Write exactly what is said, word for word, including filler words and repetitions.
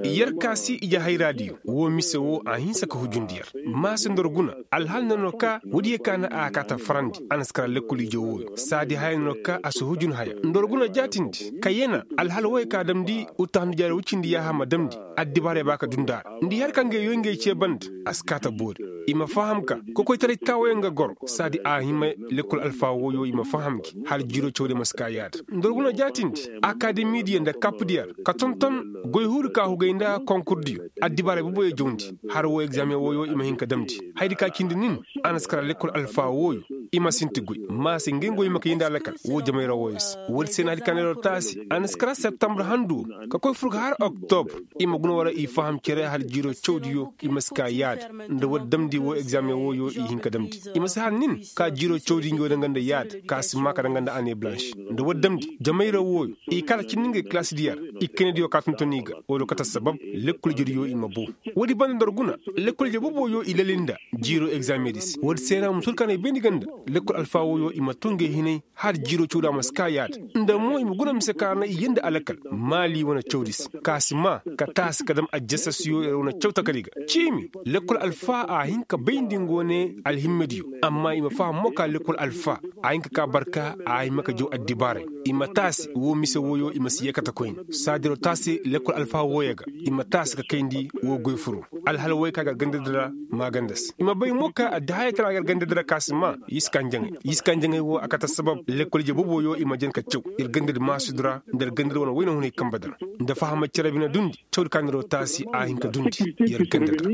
Yer ka si ije hayraadiyo woo mise woo a hinsa ka hujundi yer. Maase ndor guna, alhal na no ka woodiyo ka na a kaata farandi a na si kara lekkol ije wooyo saadi haya na no ka a si hujun haya ndor guna jaatindi ka yena. Alhal wooyo ka damndi uttahandu jaari woy cindi yaaha ma damndi. Addibaaray ba ka dundi a ra nda i har ka ngey yoy ngey cee banda. A si kaata boori. I ma faham ka kokoytaray taawayaŋ ga goro saadi a hima. Lekkol alfaa wooyo i ma faham gi hala jiiroo cawdiyo ma si kaa yaada. Ndor guna jaatindi, akademidiyo nda kapdiyo ra ka tonton goy huuri ka hugay nda konkurdiyo. Addibaaray boboyo jawndi, har woo egzaameŋ wooyo i ma hin ka damndi. Hayadi ka cindi nin, a na si kara lekkol alfaa wooyo. I ma sinti goy maase ngey ngo i ma kay nda alakal woo jamayra wooyo se. Woodi se na hayadi ka neeroo taasi a na si kara septembre handu woo ka koy fur ga har oktobr. I ma guna wara i faham cere hala jiiroo cawdiyo i ma si kaa yaada. Nda woodi damndi woo egzaameŋ wooyo i hin ka damndi. I ma si har nin ka jiiroo cawdi ngey woo danga nda yaada ka si maa ka danga nda annee balanš. Nda woodi damndi jamayra wooyo i kala cindi ngey kalaasidiyo ra. I kayna diyo ka tonton i ga woo do kate assabab lekkol ijediyo i ma boo. Woodi banda ndor guna, lekkol ije boboyo i lali nda jiiroo egzaameŋ di se woodi se na musul kaŋ na i bayndi ga nda lekkol alfaa wooyo i ma too ngey hinay. Har jiiroo cawdi a ma si kaa yaada. Nda mo i ma guna mise kaŋ a na i yee nda alakal maali wane cawdi se ka si maa ka taasi ka dam ajjasasiyo yer wane caw takari ga. Ciimi lekkol alfaa a hin ka bayndi nga wane alhimmediyo. Amma i ma faham mo ka lekkol alfaa a hin ka kaa barka a hima ka jaw addibaaray. I ma taasi woo mise wooyo i ma si yee kate koyne. Saadiroo taasi lekkol alfaa wooyo ga i ma taasi ka kayndi woo goy furoo. Alhal wooyo ka gar gandadi ra maaganda se i ma bay mo ka addihaayey tana gar gandadi ra ka si maa. Yiskanjaŋey yiskanjaŋey woo a kate assabab lekkol ije boboyo i ma jan ka caw yer gandadi maasidu ra nda yer gandadi wane wayna hunay kambadi ra. Nda fahamay cere bine dundi cawdi ka neeroo taasi a hin ka dundi yer gandadi ra.